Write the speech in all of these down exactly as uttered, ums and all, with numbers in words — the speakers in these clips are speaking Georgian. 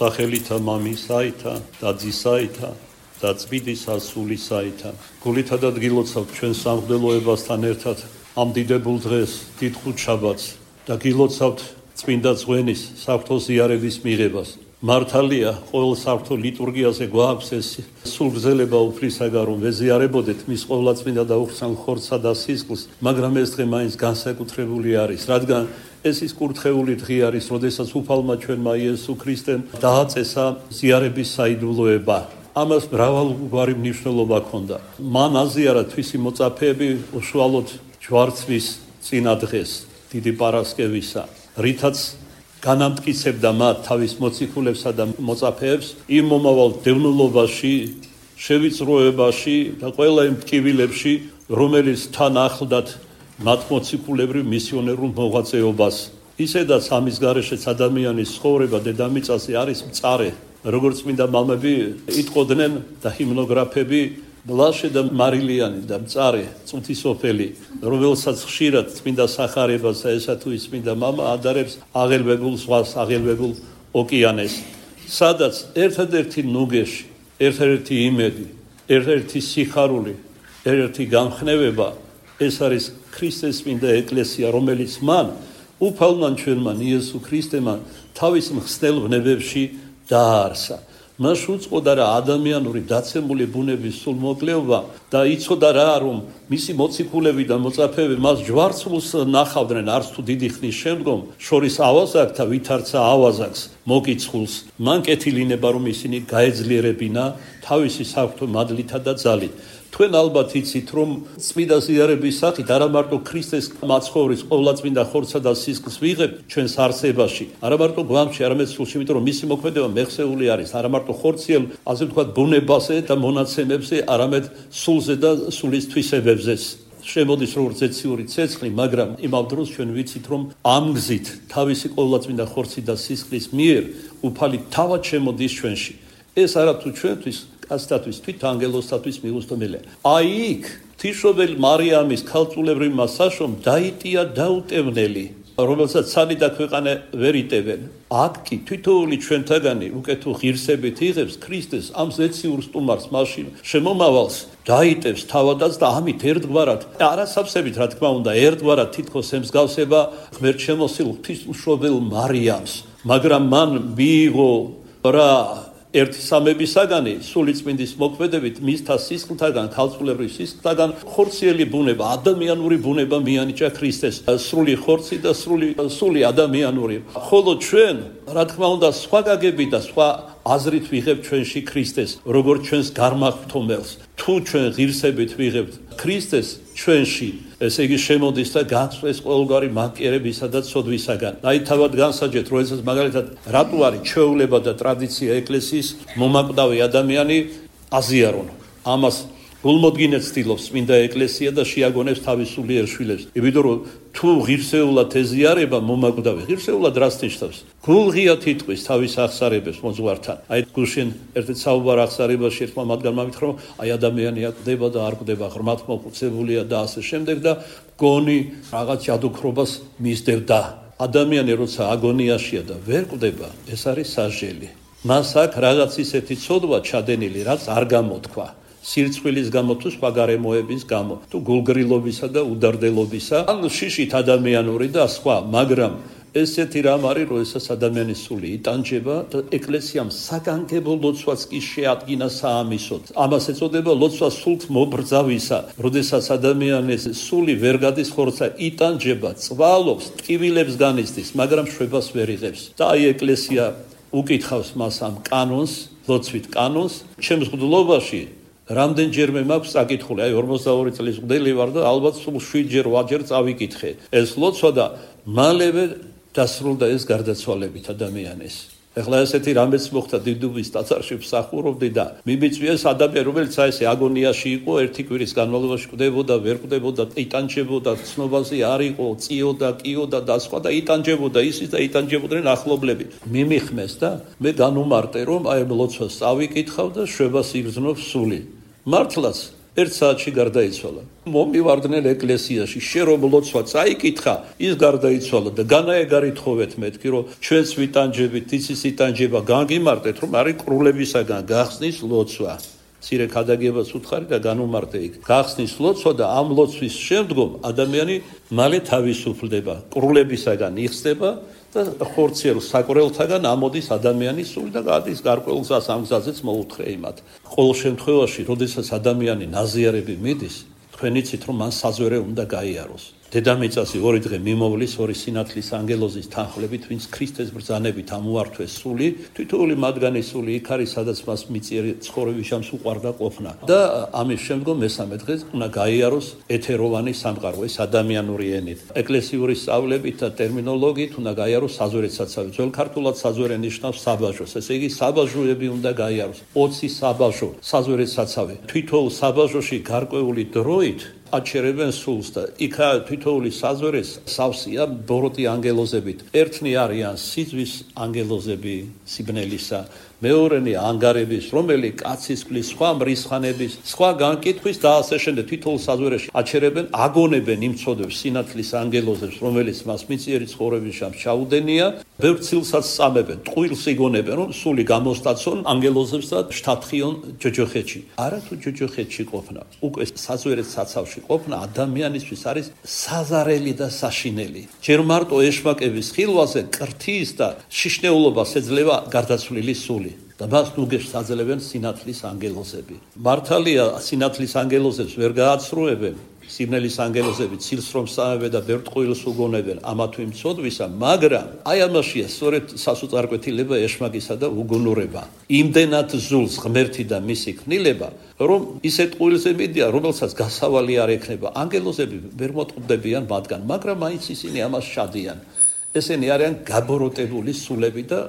სახელითა მამისაითა და ძისაითა და წმინდისა სულისაითა. გულითა და გილოცავთ ჩვენ სამღვდელოებასთან ერთად ამ დიდებულ დღეს, დიდ ხუთშაბათს და გილოცავთ წმინდა ძღვენის საღვთო ზიარების მიღებას. მართალია, ყოველ საღვთო ლიტურგიაზე გვაქვს ეს სულგრძელება უფლისაგან, რომ ვეზიარებოდეთ მის ყოვლადწმინდა და უხსნელ ხორცსა და სისხლს, მაგრამ ეს დღე მაინც განსაკუთრებული არის, რადგან ეს ის კურთხეული დღე არის, როდესაც უფალმა ჩვენმა იესო ქრისტემ დააწესა ზიარების საიდუმლოება. ამას მრავალგვარი მნიშვნელობა ჰქონდა. მან აზიარა თვისი მოწაფეები უშუალოდ ჯვარცმის წინა დღეს, დიდი პარასკევისა, რითაც განამტკიცებდა მათ თავის მოციქულებსა და მოწაფეებს იმ მომავალ დევნილობაში, შევიწროებაში და ყველა იმ ტკივილებში, რომელიც თან ახლდათ მათ მოციქულებრივ მისიონერულ მოღვაწეობას. ისედაც ამის გარეშეც ადამიანის ცხოვრება დედამიწაზე არის მწარე, როგორც წმინდა მამები იტყოდნენ და ჰიმნოგრაფები, ბლაშე და მარილიანი და მწარე წუთისოფელი, რომელსაც ხშირად წმინდა სახარებას და ესა თუ ის წმინდა მამა ადარებს აღელვებულ ზღვას, აღელვებულ ოკეანეს, სადაც ერთადერთი ნუგეში, ერთადერთი იმედი, ერთადერთი სიხარული, ერთადერთი გამხნევება ეს არის ქრისტეს წმინდა ეკლესია, რომელიც მან უფალმა ჩვენმა იესო ქრისტემ თავის მხსნელ ვნებებში დააარსა. მას უწყოდა რა ადამიანური დაცემული ბუნების სულმოკლეობა და იცოდა რა რომ მისი მოციქულები და მოწაფეები მას ჯვარცმულს ნახავდნენ არც თუ დიდი ხნის შემდგომ შორის ავაზაკს და ვითარცა ავაზაკს მოკიცხულს. მან კეთილინება რომ ისინი გაეძლიერებინა თავისი საღვთო მადლითა და ძალით. თქვენ ალბათ იცით რომ წმინდა ზიარების სახით არა მარტო ქრისტეს მაცხოვრის ყოვლადწმინდა ხორცსა და სისხლს ვიღებთ ჩვენს არსებაში, არა მარტო გვამში, არამედ სულში, იმიტომ რომ მისი მოქმედება მეხსეული არის, არა მარტო ხორციელ, ასე ვთქვათ, ბუნებაზე და მონაცემებზე, არამედ სულზე და სულის თვისებებზეც. შემოდის როგორც ეციური ცეცხლი, მაგრამ იმავ დროს ჩვენ ვიცით რომ ამ გზით თავისი ყოვლადწმინდა ხორცი და სისხლის მიერ უფალი თავად შემოდის ჩვენში. ეს არა თუ ჩვენთვის ასტატვის თვით ანგელოსტატვის მიუწვდომელია. აი იქ თიშობელ მარიამის ქალწულებრივმა საშომ დაიტია დაუტევნელი, რომელსაც ცალი და ქვეყანა ვერ იტევენ. აქ კი თითოეული ჩვენთაგანი უკეთო ღირსებით იღებს ქრისტეს ამ ზეციურ სტუმარს, მაშინ შემომავალს დაიტევს თავადაც და ამით ერთგვარად, არასავსებით რა თქმა უნდა, ერთგვარად თითქოს ემსგავსება ღმერთშემოსილ ღვთისმშობელ მარიამს, მაგრამ მან მიიღო რა ერთი სამებისაგანი სული წმინდის მოქმედებით მისთა სისხლთაგან, ქალწულებრივ სისხლთაგან ხორციელი ბუნება, ადამიანური ბუნება მიანიჭა ქრისტეს, სრული ხორცი და სრული სული ადამიანური. ხოლო ჩვენ, რა თქმა უნდა, სხვა გაგები და სხვა აზრით ვიღებთ ჩვენში ქრისტეს, როგორც ჩვენს გარმართომელს. თუ ჩვენ ღირსებით ვიღებთ ქრისტეს ჩვენში, ესე იგი შემოდის და გაწვეს ყოველგვარი მანკიერებისა და ცოდვისაგან. აი თავად განსაჯეთ, როდესაც მაგალითად რატო არის ჩვეულება და ტრადიცია ეკლესიის მომაკვდავი ადამიანი აზიარონ. ამას გულმოდგინედ ცდილობს წმინდა ეკლესია და შეაგონებს თავის სულიერ შვილებს. იმიტომ რომ თუ ღირსეულად ეზიარება მომაკვდავი, ღირსეულად რას ნიშნავს? გულღია თითქოს თავის აღსარებებს მოძღვართან. აი გულშენ ერთ-ერთ საუბარ აღსარებაში ერთმა მათგანმა მითხრა, აი ადამიანი აკვდება და არ კვდება, ღრმად მოხუცებულია და ასე შემდეგ და გონი რაღაც ჯადოქრობას მისდევდა. ადამიანი როცა აგონიაშია და ვერ კვდება, ეს არის სასჯელი. მას აქ რაღაც ისეთი ცოდვა ჩადენილი, რაც არ გამოთქვა. სირცხვილის გამო თუ სხვა გარემოების გამო, თუ გულგრილობისა და უდარდელობისა, ან შიშით ადამიანური და სხვა, მაგრამ ესეთი რამ არის, როდესაც ადამიანის სული იტანჯება და ეკლესიამ საგანგებო ლოცვაც კი შეადგინა საამისოდ. ამას ეწოდება ლოცვა სულთ მობრძავისა, როდესაც ადამიანის სული ვერ გადის ხორცსა, იტანჯება, წვალობს, ტკივილებს განიცდის, მაგრამ შვებას ვერ იღებს. და აი ეკლესია უკითხავს მას ამ კანონს, ლოცვით კანონს, ჩემს მღვდლობაში რამდენჯერმე მაქვს საკითხული, აი ორმოცდაორი წლის მღვდელი ვარ და ალბათ სულ შვიდჯერ ვაჯერ წავიკითხე. ეს ლოცვა და მალევე დასრულდა ეს გარდაცვალებით ადამიანის. ეხლა ესეთი რამეც მოხდა დიდუბის ტაძარში ვსახურობდი და მიმიწვიეს ადამიანი, რომელიც ესე აგონიაში იყო, ერთი კვირის განმავლობაში კვდებოდა, ვერ კვდებოდა, იტანჯებოდა, ცნობაზე არ იყო, წიოდა, კიოდა და სხვა და იტანჯებოდა, ისიც და იტანჯებოდნენ ახლობლები. მიმიხმეს და მე განუმარტე, რომ აი ლოცვას წავიკითხავ და შვებას იგრძნობს სული. მართლაც ერთ საათში გარდაიცვალა. მომივარდნენ ეკლესიაში, შე რომ ლოცვა წაიკითხა, ის გარდაიცვალა და განაეგარით ხოვეთ მეთქი, რომ ჩვენს ვიტანჯებით, იცის იტანჯება განგიმარტეთ, რომ არის კრულებისაგან გახსნის ლოცვა. ცირე ქადაგებას უთხარი და განუმარტე იქ. გახსნის ლოცვა და ამ ლოცვის შემდგომ ადამიანი მალე თავისუფლდება, კრულებისაგან იხსნება და ხორციელ საკურელთაგან ამოდის ადამიანის სული და გადის გარკვეულ გზას, ამ გზაზეც მოუთხრე იმათ. ყოველ შემთხვევაში, როდესაც ადამიანი ნაზიარები მიდის, თქვენ იცით, რომ მან საზვერე უნდა გაიაროს. დედამიწაზე ორი დღე მიმოვლის ორი სინათლის ანგელოზის თანხლებით, ვინც ქრისტეს ბრძანებით ამოართვეს სული, თითოეული მათგანი სული იქ არის, სადაც მას მიწიერი ცხოვრების ჟამს უყვარდა ყოფნა. და ამის შემდგომ მესამე დღეს უნდა გაიაროს ეთეროვანი სამყარო, ეს ადამიანური ენით. ეკლესიური სწავლებით და ტერმინოლოგიით უნდა გაიაროს საზვერეთ საცავი. ძველ ქართულად საზვერე ნიშნავს საბაჟოს, ესე იგი საბაჟოები უნდა გაიაროს. ოცი საბაჟო, საზვერეთ საცავი. თითოეულ საბაჟოში გარკვეული დროით აჩერებენ სულს და იქა თითოეული საზვერეს სავსეა ბოროტი ანგელოზებით. ერთნი არიან სიძვის ანგელოზები სიბნელისა, მეორენი ანგარების, რომელი კაცისკვლის, სხვა მრისხანების, სხვა განკითხვის და ასე შემდეგ. თითოეულ საზვერეში აჩერებენ, აგონებენ იმ ცოდვებს სინათლის ანგელოზებს, რომელიც მას მიწიერი ცხოვრების ჟამს ჩაუდენია, ბევრ ცილსაც წამებენ, ტყუილს იგონებენ, რომ სული გამოსტაცონ ანგელოზებს და შთათხიონ ჯოჯოხეთში. არა თუ ჯოჯოხეთში ყოფნა, უკვე საზვერეთ საცავში ყოფნა ადამიანისთვის არის საზარელი და საშინელი. ჯერ მარტო ეშმაკების ხილვაზე კრთის და შიშნეულობას ეძლევა გარდაცვლილი სული. და მას ნუგეშს აძლევენ სინათლის ანგელოზები. მართალია, სინათლის ანგელოზებს ვერ გააცრუებენ, სიბნელის ანგელოზები ცილს რომ სწამებენ და ბევრ ტყუილს უგონებენ ამა თუ იმ ცოდვისა, მაგრამ აი ამაშია სწორედ სასოწარკვეთილება ეშმაკისა და უგუნურება. იმდენად ზულს ღმერთი და მისი ქმნილება, რომ ისე ტყუილზე მიდიან, რომელსაც გასავალი არ ექნება. ანგელოზები ვერ მოწყდებიან მათგან, მაგრამ მაინც ისინი ამას შადიან. ესენი არიან გაბოროტებული სულები და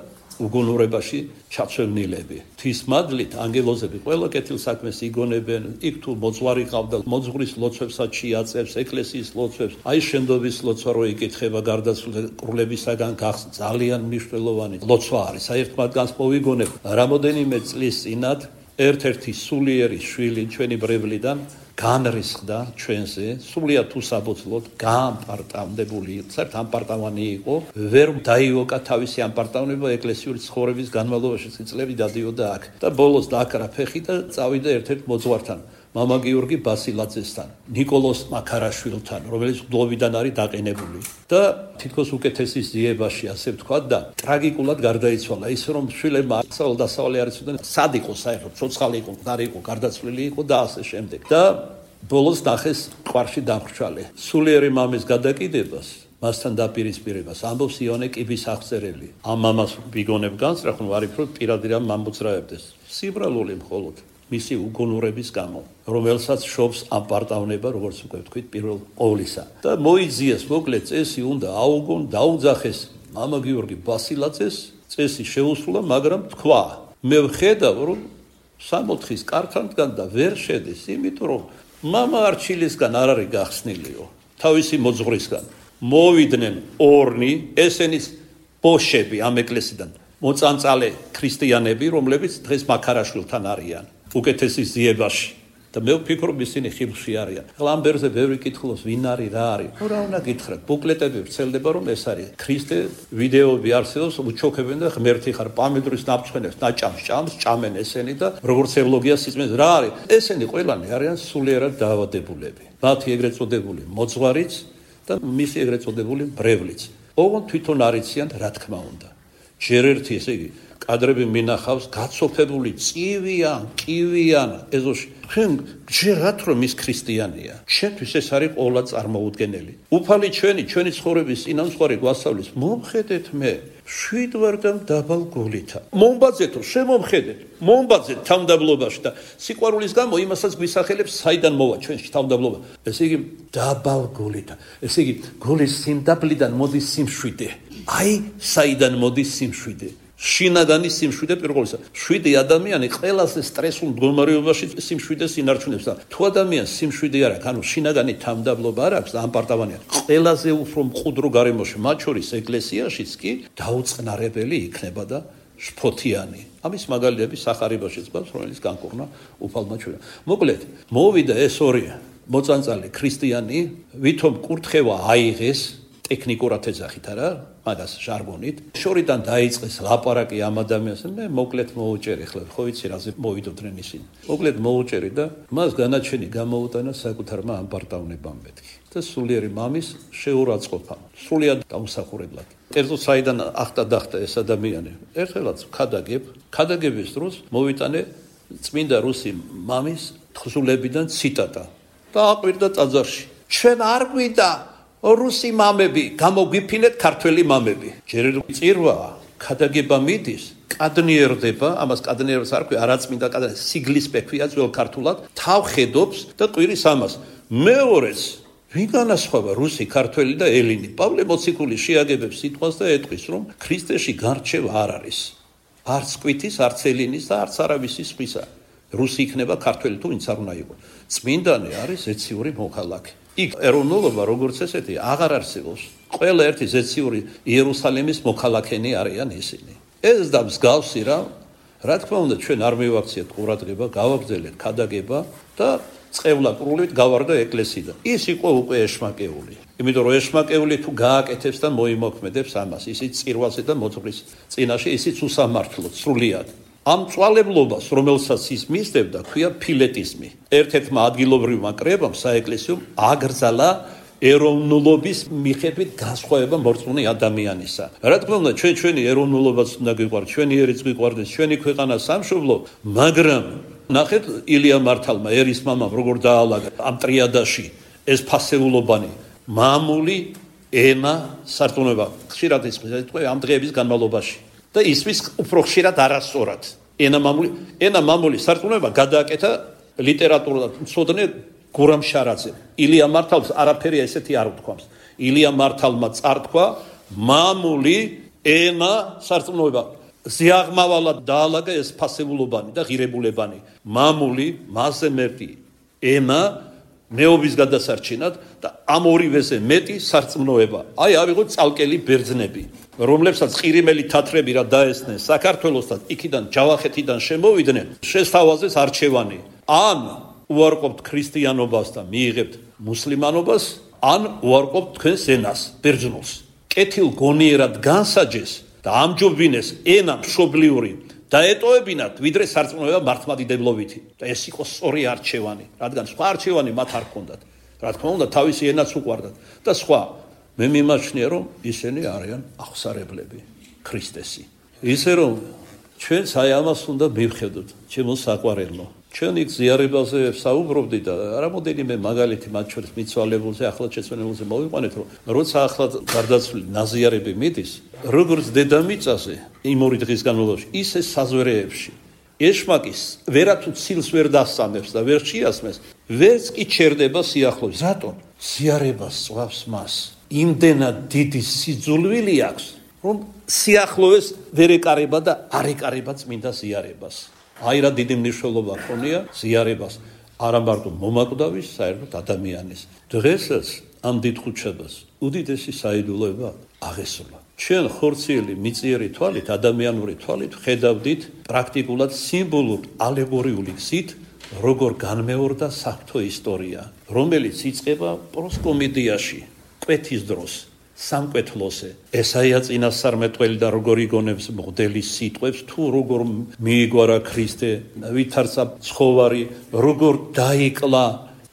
უგუნურებაში ჩაცვენილები. თვის მადლით ანგელოზები ყველა კეთილ საქმეს იგონებენ, იქ თუ მოძღვარი ყავდა, მოძღვრის ლოცვებსაც შეაწევს, ეკლესიის ლოცვებს, აი შენდობის ლოცვა რო იკითხება გარდაცვლილი კრულებისაგან გახსნა, ძალიან მნიშვნელოვანი ლოცვა არის. აი ერთ მათგანს მოვიგონებ, რამოდენიმე წლის წინათ ერთ-ერთი სულიერი შვილი ჩვენი ბრევლიდან განრისხდა ჩვენზე, სულიად უსაბოძლოდ გაამპარტავნებული, საერთოდ ამპარტავანი იყო, ვერ დაიოკა თავისი ამპარტავნება ეკლესიური ცხოვრების განმავლობაში წლები დადიოდა აქ. და ბოლოს დააკრა ფეხი და წავიდა ერთ-ერთ მოძღვართან, მამა გიორგი ბასილაძესთან, ნიკოლოზ მაქარაშვილთან, რომელიც გლოვიდან არის დაყენებული. და თითქოს უკეთესის ძიებაში, ასე ვთქვათ, და ტრაგიკულად გარდაიცვალა. ის რომ შვილებმა სავალ დასავალი არ იცოდნენ, სად იყო საერთოდ, ცოცხალი იყო, არ იყო, გარდაცვლილი იყო და ასე შემდეგ. და ბოლოს ნახეს ტყვარში დამხრჩვალე. სულიერი მამის გადაკიდებას, მასთან დაპირისპირებას ამბობს იონე კიბის აღწერელი. ამ მამას ვიგონებ განსწრახონ ვარიფ რომ პირადი რამ მომწრაებდეს. სიბრალული მხოლოდ მისი უგუნურების გამო, რომელსაც შობს ამპარტავნება, როგორც უკვე ვთქვით, პირველ ყოვლისა. და მოიძიეს მოკლედ წესი უნდა აუგონ, დაუძახეს მამა გიორგი ბასილაძეს, წესი შეუსრულა, მაგრამ თქვა, მე ვხედავ, რომ სამოთხის კართან და ვერ შედის, იმიტომ რომ მამა არჩილისგან არ არის გახსნილიო, თავისი მოძღვრისგან. მოვიდნენ ორნი, ესენის ბოშები ამ ეკლესიიდან, მოწანწალე ქრისტიანები, რომლებიც დღეს მაქარაშვილთან არიან. უკეთესის ძიებაში და მე ვფიქრობ ისინი ხილში არიან. ლამბერზე ბევრი კითხულობს ვინ არის, რა არის. რა უნდა გითხრათ, ბუკლეტები ვრცელდება რომ ეს არის. ქრისტე ვიდეოები არსებობს, უჩოქებენ და ღმერთი ხარ, პამედრის ნაფრთხენებს, ნაჭამს ჭამს, ჭამენ ესენი და როგორც ევლოგია სიწმენს რა არის. ესენი ყველანი არიან სულიერად დაავადებულები. მათი ეგრეთ წოდებული მოძღვარიც და მისი ეგრეთ წოდებული ბრევლიც. ოღონდ თვითონ არიციან რა თქმა უნდა. ჯერ ერთი ესე იგი კადრები მინახავს გაცოფებული წივიან, კივიან ეზოში. თქვენ გჯერათ რომ ის ქრისტიანია. ჩვენთვის ეს არის ყოლა წარმოუდგენელი. უფალი ჩვენი, ჩვენი ცხოვრების წინამძღვარი გვასწავლის, მომხედეთ მე, შვიდ ვარ და დაბალ გულითა. მომბაძეთო, შემომხედეთ, მომბაძეთ თავმდაბლობაში და სიყვარულის გამო იმასაც გვისახელებს, საიდან მოვა ჩვენში თავმდაბლობა. ესე იგი დაბალ გულითა. ესე იგი გულის სიმდაბლიდან მოდის სიმშვიდე. აი, საიდან მოდის სიმშვიდე. შინაგანი სიმშვიდე პირველისა. შვიდი ადამიანი ყველაზე სტრესულ მდგომარეობაში სიმშვიდეს ინარჩუნებს და თუ ადამიანს სიმშვიდე არ აქვს, ანუ შინაგანი თავმდაბლობა არ აქვს და ამპარტავანია, ყველაზე უფრო მყუდრო გარემოში, მათ შორის ეკლესიაშიც კი დაუწყნარებელი იქნება და შფოთიანი. ამის მაგალითები სახარებაშიც გვაქვს, რომელიც განკურნა უფალმა ჩვენმა. მოკლედ, მოვიდა ეს ორი მოწანწალი ქრისტიანი, ვითომ კურთხევა აიღეს ტექნიკურად ეძახით არა, მაგას ჟარგონით. შორიდან დაიწყეს ლაპარაკი ამ ადამიანს, მე მოკლედ მოუჭერი ხლა, ხო ვიცი რაზე მოვიდოდნენ ისინი. მოკლედ მოუჭერი და მას განაჩენი გამოუტანა საკუთარმა ამპარტავნებამ მეთქი. და სულიერი მამის შეურაცხყოფა, სრულიად დამსახურებლად. კერძო საიდან ახტა დახტა ეს ადამიანი. ერთხელაც ქადაგებ, ქადაგების დროს მოვიტანე წმინდა რუსი მამის თხზულებიდან ციტატა და აყვირდა ტაძარში. ჩვენ არ გვიდა რუსი მამები, გამოგვიფინეთ ქართველი მამები. ჯერ წირვა ქადაგება მიდის, კადნიერდება, ამას კადნიერებას არ ქვია, არაწმინდა კადნიერება, სიგლის პექვია ძველ ქართულად, თავხედობს და ყვირის ამას. მეორეც ვინ განასხვავება რუსი, ქართველი და ელინი? პავლე მოციქული შეაგებებს სიტყვას და ეტყვის, რომ ქრისტეში გარჩევა არ არის. არც კვითის, არც ელინის და არც არავისი სხვისა. რუსი იქნება ქართველი თუ ვინც არ უნდა იყოს. წმინდანი არის ზეციური მოქალაქე. იქ ეროვნულობა როგორც ესეთი აღარ არსებობს. ყველა ერთი ზეციური იერუსალიმის მოქალაქენი არიან ისინი. ეს და მსგავსი რა, რა თქმა უნდა, ჩვენ არ მივაქციეთ ყურადღება, გავაგრძელეთ ქადაგება და წყევლაკრულით გავარდა ეკლესიიდან. ის იყო უკვე ეშმაკეული. იმიტომ რომ ეშმაკეული თუ გააკეთებს და მოიმოქმედებს ამას, ისიც წირვაზე და მოძღვრის წინაშე, ისიც უსამართლოდ, სრულიად. ამ წვალებლობას, რომელსაც ის მისდევდა, ქვია ფილეტიზმი. ერთ-ერთმა ადგილობრივმა კრებამ საეკლესიო აგრძალა ეროვნულობის მიხედვით განსხვავება მორწმუნე ადამიანისა. რა თქმა უნდა, ჩვენ ჩვენი ეროვნულობაც უნდა გვიყვარდეს, ჩვენი ერიც გვიყვარდეს, ჩვენი ქვეყანა სამშობლო, მაგრამ ნახეთ ილია მართალმა, ერის მამამ როგორ დაალაგა ამ ტრიადაში ეს ფასეულობანი, მამული, ენა, სარწმუნოება. ხშირად ის თქვა ამ დღეების განმავლობაში. და ისმის უფრო ხშირად არასწორად. ენა მამული, ენა მამული სარწმუნოება გადააკეთა ლიტერატურულად მცოდნე გურამ შარაძემ. ილია მართალს არაფერი ესეთი არ უთქვამს. ილია მართალმა წართქვა მამული, ენა, სარწმუნოება. ზიაღმავალად დაალაგა ეს ფასეულობანი და ღირებულებანი. მამული, მასზე მეტი, ენა, მეობის გადასარჩენად და ამ ორივეზე მეტი სარწმუნოება. აი ავიღოთ წალკელი ბერძნები, რომლებსაც ყირიმელი თათრები რა დაესწნენ საქართველოსთან, იქიდან ჯავახეთიდან შემოვიდნენ, შესთავაზეს არჩევანი. ან უარყოფთ ქრისტიანობას და მიიღებთ მუსლიმანობას, ან უარყოფთ თქვენს ენას, ბერძნულს. კეთილ გონიერად განსაჯეს და ამჯობინეს ენა მშობლიური დაეტოვებინათ, ვიდრე სარწმუნოება მართლმადიდებლობითი. და ეს იყო სწორი არჩევანი, რადგან სხვა არჩევანი მათ არ ჰქონდათ. რა თქმა უნდა, თავისი ენაც უყვარდათ და სხვა. მე მიმაჩნია, რომ ისინი არიან აღსარებლები, ქრისტესი. ისე რომ ჩვენც აი ამას უნდა მივხედოთ, ჩემო საყვარელო. ჩვენ იქ ზიარებაზე საუბრობდი და რამოდენიმე მაგალითი მათ შორის მიცვალებულზე, ახლად შეცვალებულზე მოვიყვანეთ, რომ როცა ახლად გარდაცვლილი ნაზიარები მიდის, როგორც დედამიწაზე იმ ორი დღის განმავლობაში, ისე საზვერეებში ეშმაკის ვერათუ ცილს ვერ დასწამებს და ვერ შეასმეს, ვერც კი ჩერდება სიახლოვეს. რატომ? ზიარებას წვავს მას. იმდენად დიდი სიძულვილი აქვს, რომ სიახლოვეს ვერ ეკარება და არ ეკარება წმინდა ზიარებას. აი რა დიდი მნიშვნელობა ქონია ზიარებას, არა მარტო მომაკვდავის, საერთოდ ადამიანის. დღესაც ამ დიდ ხუთშაბათს უდიდესი საიდუმლოება აღესრულა. ჩვენ ხორციელი მიწიერი თვალით, ადამიანური თვალით ხედავდით პრაქტიკულად სიმბოლურ ალეგორიული გზით, როგორ განმეორდა საღვთო ისტორია, რომელიც იწყება პროსკომედიაში, კვეთის დროს, სამკვეთლოზე. ესაია წინასწარმეტყველი და როგორ იგონებს მღვდელის სიტყვებს, თუ როგორ მიიგوارა ქრისტე, ვითარცა ცხოვარი, როგორ დაიკლა.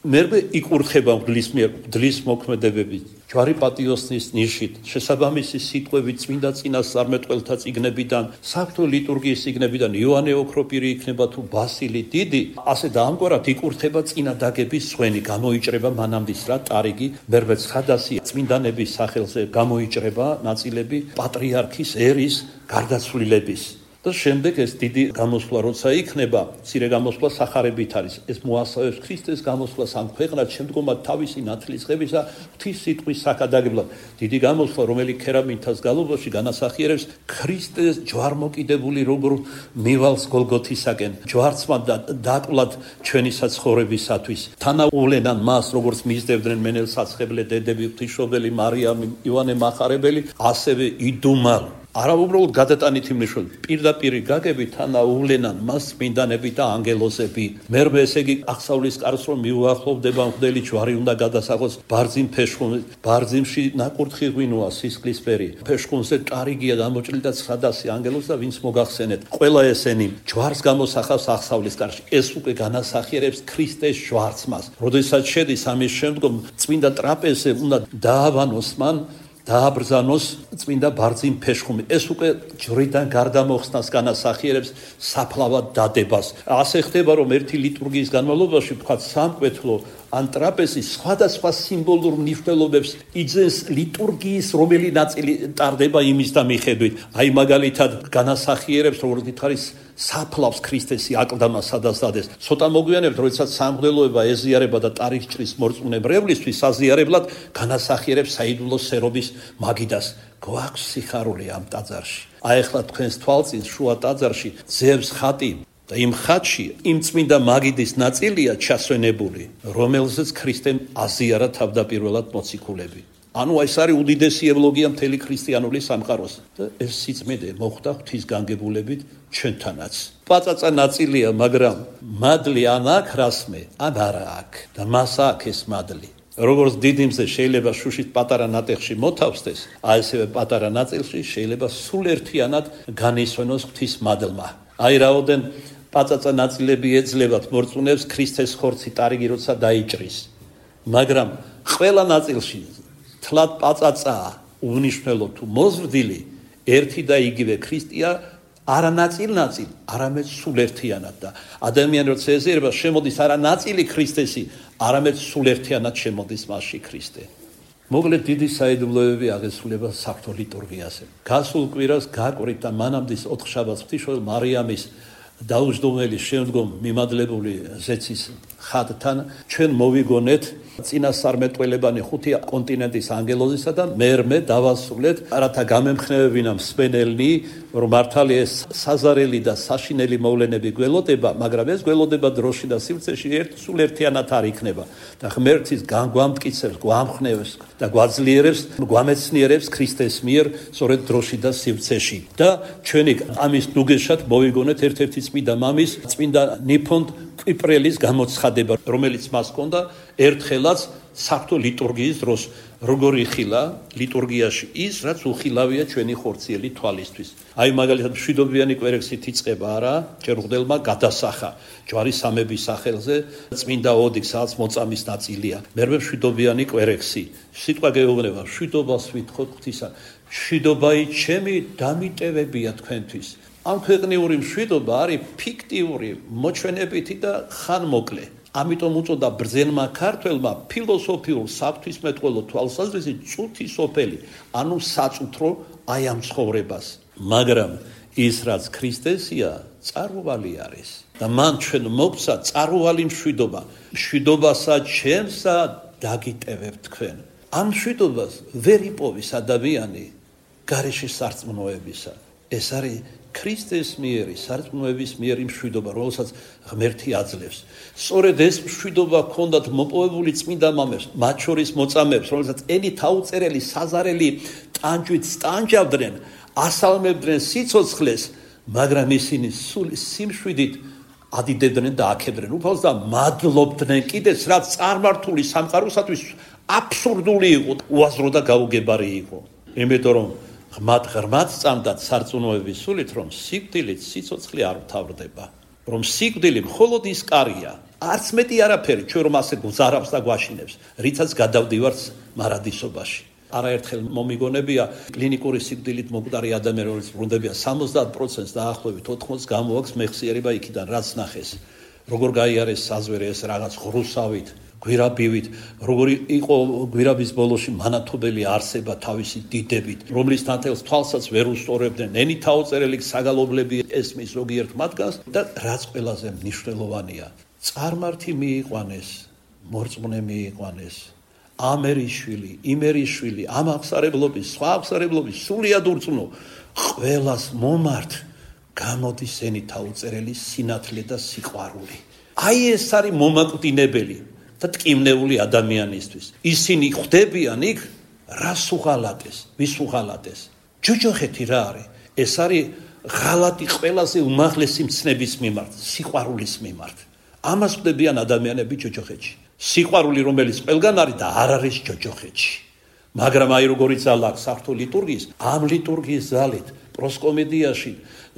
მერე იკურთხება მღვდლის მიერ, მღვდლის მოქმედებებით, ჯვარი პატიოსნის ნიშით, შესაბამისი სიტყვებით წმინდა წინასწარმეტყველთა წიგნებიდან, საღვთო ლიტურგიის წიგნებიდან, იოანე ოქროპირი იქნება თუ ბასილი დიდი, ასე და ამგვარად იკურთხება წინა დაგების სხვენი, გამოიჭრება მანამდის რა ტარიგი, მერვე ცხადასი წმინდანების სახელზე გამოიჭრება ნაწილები პატრიარქის ერის გარდაცვლილების. და შემდეგ ეს დიდი გამოსვლა როცა იქნება, მცირე გამოსვლა სახარებით არის. ეს მოასწავებს ქრისტეს გამოსვლას ამ ქვეყნად, შემდგომად თავისი ნათლისღებისა ღვთის სიტყვის საქადაგებლად. დიდი გამოსვლა, რომელიც ქერამითას გალობაში განასახიერებს ქრისტეს ჯვარმოკიდებული როგორ მივალს გოლგოთისაკენ, ჯვარცმა და დაკვლად ჩვენი საცხოვრებისათვის. თანაუვლენან მას, როგორც მისდევდნენ მენელ საცხებლე დედები, ღვთისმშობელი მარიამი, იოანე მახარებელი, ასევე იდუმალ არა უბრალოდ გადატანითი მნიშვნელობით, პირდაპირ გაგებით თანაუვლენან მას წმინდანები და ანგელოზები. მერმე ესე იგი აღსავლის კარს რომ მიუახლოვდება მღვდელი ჯვარი უნდა გადასაღოს ბარძიმ ფეშხუნ ბარძიმში ნაკურთხი ღვინოა სისხლისფერი. ფეშხუნზე ტარიგია დამოჭრილი და ცხრადასი ანგელოზ და ვინც მოგახსენეთ. ყველა ესენი ჯვარს გამოსახავს აღსავლის კარში. ეს უკვე განასახიერებს ქრისტეს ჯვარს მას. როდესაც შედის ამის შემდგომ წმინდა ტრაპეზზე უნდა დააბანოს მან დააბრძანოს წმინდა ბარძიმ ფეშხუმი. ეს უკვე ჯვრიდან გარდამოხსნას განასახიერებს საფლავად დადებას. ასე ხდება რომ ერთი ლიტურგიის განმავლობაში ვთქვათ სამკვეთლო ან ტრაპეზი სხვადასხვა სიმბოლურ მნიშვნელობებს იძენს ლიტურგიის რომელი ნაწილი ტარდება იმის და მიხედვით. აი მაგალითად განასახიერებს როგორც ითხარის საფლავს ქრისტესი აკლდამა სადასადეს. ცოტა მოგვიანებთ, როდესაც სამღვდელოება ეზიარება და ტარიხჭრის მორწმუნებრევლისთვის საზიარებლად განასახიერებს საიდუმლო სერობის მაგიდას. გვაქვს სიხარული ამ ტაძარში. აი ახლა თქვენს თვალწინ შუა ტაძარში ძევს ხატი და იმ ხატში იმ წმინდა მაგიდის ნაწილია ჩასვენებული, რომელზეც ქრისტემ აზიარა თავდაპირველად მოციქულები. ანუ ეს არის უდიდესი ევლოგია მთელი ქრისტიანული სამყაროს და ეს სიწმინდე მოხდა ღვთისგანგებულებით ჩვენთანაც. პაწაწა ნაწილია, მაგრამ მადლი ან აქ რასმე, ან არა აქ და მას აქ ეს მადლი. როგორც დიდიმზე შეიძლება შუშით პატარა ნატეხში მოთავსდეს, ასევე პატარა ნაწილში შეიძლება სულერთიანად განისვენოს ღვთის მადლმა. აი რაოდენ პაწაწა ნაწილები ეძლებათ მორწმუნეებს ქრისტეს ხორცი ტარიგი როცა დაიჭრის, მაგრამ ყველა ნაწილში თლად პაწაწაა უნიშნელო თუ მოზრდილი ერთი და იგივე ქრისტეა არა ნაწილ-ნაწილ, არამედ სულერთიანად და ადამიანი როცა ეზიარება შემოდის არა ნაწილი ქრისტესი, არამედ სულერთიანად შემოდის მასში ქრისტე. მოკლედ დიდი საიდუმლოებები აღესრულება საღვთო ლიტურგიაზე. გასულ კვირას გაკვირით და მანამდის ოთხშაბათს ღვთისმშობელ მარიამის დაუჯდომელი შემდგომ მიმადლებული ზეცის ხატთან ჩვენ მოვიგონეთ წინასწარმეტყველებანი ხუთი კონტინენტის ანგელოზისა და მერმე დავასრულეთ, რათა გამემხნევებინა მსმენელნი, რომ მართალია ეს საზარელი და საშინელი მოვლენები გველოდება, მაგრამ ეს გველოდება დროში და სივრცეში ერთ სულ ერთიანად არ იქნება და ღმერთის განგვამტკიცებს, გვამხნევებს და გვაძლიერებს, გვამეცნიერებს ქრისტეს მიერ სწორედ დროში და სივრცეში. და ჩვენი ამის ნუგეშად მოვიგონეთ ერთ-ერთი წმინდა მამის, წმინდა ნიფონტ კვიპრელის გამოცხადება, რომელიც მას ჰქონდა ერთხელაც საღვთო ლიტურგიის დროს, როგორ იხილა ლიტურგიაში ის, რაც უხილავია ჩვენი ხორციელი თვალისთვის. აი მაგალითად მშვიდობიანი კვერექსით იწყება არა, ჯერღდელმა გადასახა ჯვარის სამების სახელზე წმინდა ოდი, სადაც მოწამის ნაწილია. მერმე მშვიდობიანი კვერექსი. სიტყვა გეუბნება, მშვიდობას ვითხოვთ ღვთისა. მშვიდობაი ჩემი დამიტევებია თქვენთვის. ამ ქვეყნიური მშვიდობა არის ფიქტიური, მოჩვენებითი და ხანმოკლე. ამიტომ უწოდა ბრძენმა ქართველმა ფილოსოფიურ საფრთხისმეტყველო თვალსაზრისით წუთი სოფელი, ანუ საწუთრო აი ამ ცხოვრებას. მაგრამ ის რაც ქრისტესია, წარუვალი არის და მან ჩვენ მოგცა წარუვალი მშვიდობა. მშვიდობასა ჩემსა დაგიტევებთ თქვენ. ამ მშვიდობას ვერ იპოვის ადამიანი გარეშე სარწმუნოებისა. ეს არის ქრისტეს მიერი, სარწმუნოების მიერი მშვიდობა, რომელსაც ღმერთი აძლევს. სწორედ ეს მშვიდობა ჰქონდათ მოპოვებული წმინდა მამებს, მათ შორის მოწამეებს, რომელსაც ენი თაუწერელი საზარელი ტანჯვით სტანჯავდნენ, ასალმებდნენ სიცოცხლეს, მაგრამ ისინი სულ სიმშვიდით ადიდებდნენ და აქებდნენ უფალს და მადლობდნენ კიდეც, რაც წარმართული სამყაროსათვის აბსურდული იყო, უაზრო და გაუგებარი იყო. იმიტომ რომ ღმად ღრმად წამდათ სარწმუნოების სულით, რომ სიკვდილით სიცოცხლე არ თავრდება, რომ სიკვდილი მხოლოდ ის კარია, არც მეტი არაფერი, ჩვენ რომ ასე გვზარავს და გვაშინებს, რითაც გადავდივართ მარადისობაში. არაერთხელ მომიგონებია კლინიკური სიკვდილით მოკვდარი ადამიანი, რომელიც ბრუნდებიან სამოცდაათ პროცენტს დაახლოებით ოთხმოცს გამოაქვს მეხსიერება იქიდან, რაც ნახეს. როგორ გაიარეს საზვერი ეს რაღაც ღრუსავით, გვირაბივით, როგორი იყო გვირაბის ბოლოში მანათობელი არსება თავისი დიდებით, რომლის ნათელს თვალსაც ვერ უსწორებდნენ, ენი თაუწერელი საგალობლები ესმის ზოგიერთ მათგანს და რაც ყველაზე მნიშვნელოვანია, წარმართი მიიყვანეს, მორწმუნე მიიყვანეს, ამერიშვილი, იმერიშვილი, ამ აღსარებლობის, სხვა აღსარებლობის, სულიად ურწმუნო, ყველას მომართ გამოდის ენი თაუწერელი სინათლე და სიყვარული. აი ეს არის მომაკვდინებელი და ტკივნეული ადამიანისთვის. ისინი ხვდებიან იქ რას უღალატეს, ვის უღალატეს? ჯოჯოხეთი რა არის? ეს არის ღალატი ყველაზე უმაღლესი მცნების მიმართ, სიყვარულის მიმართ. ამას ხვდებიან ადამიანები ჯოჯოხეთში. სიყვარული, რომელიც ყველგან არის და არ არის ჯოჯოხეთში. მაგრამ აი როგორი ძალა აქვს საღვთო ლიტურგიის, ამ ლიტურგიის ძალით პროსკომედიაში,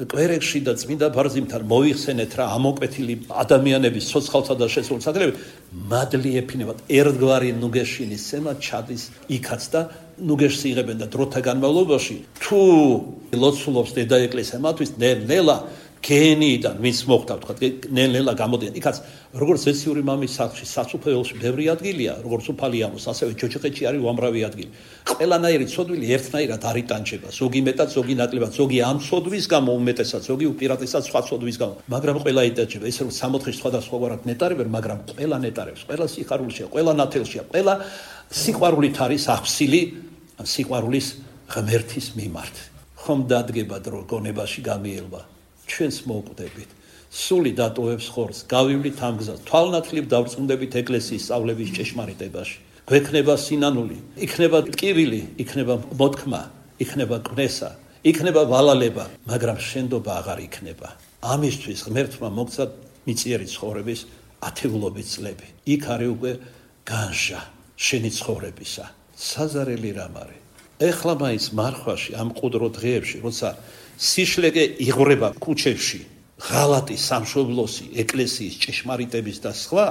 კვერექში და წმინდა ბარძიმთან მოიხსენეთ რა ამოკვეთილი ადამიანების ცოცხალთა და შესულსაგრები მადლი ეფინებათ ერთგვარი ნუგეშინის სემა ჩადის იქაც და ნუგეშს იღებენ და დროთა განმავლობაში თუ ლოცულობს დედა ეკლესია მათთვის ნელ-ნელა გენიიდან ვინც მოხდა თქვა ნელ-ნელა გამოდიან იქაც როგორც ზესიური მამის სახლში საცუფეველში ბევრი ადგილია როგორც უფალი ამოს ასევე ჯოჯოხეთში არის უამრავი ადგილი ყველანაირი ცოდვილი ერთნაირად არ იტანჯება ზოგი მეტად ზოგი ნაკლებად ზოგი ამ ცოდვის გამო უმეტესად ზოგი უპირატესად სხვა ცოდვის გამო მაგრამ ყველა იტანჯება ესე რომ სამოთხის სხვადასხვაგვარად ნეტარებენ მაგრამ ყველა ნეტარებს ყველა სიხარულშია ყველა ნათელშია ყველა სიყვარულით არის ახსილი სიყვარულის ღმერთის მიმართ ხომ დადგება დრო გონებაში გამიელვა ჩვენს მოვკვდებით სული დატოვებს ხორცს გავივლით ამ გზას თვალნათლივ დავწუნდებით ეკლესიის სწავლების ჭეშმარიტებაში გვექნება სინანული იქნება ტკივილი იქნება მოთქმა იქნება კვნესა იქნება ვალალება მაგრამ შენდობა აღარ იქნება ამისთვის ღმერთმა მოგცა მიწიერი ცხოვრების ათეულობით წლები იქ არის უკვე განშა შენი ცხოვრებისა საზარელი რამ არის ეხლა მაინც მარხვაში ამ ყუდრო დღეებში როცა სიშლეგე იღვრება ქუჩებში ღალატი სამშობლოსი ეკლესიის ჭეშმარიტების და სხვა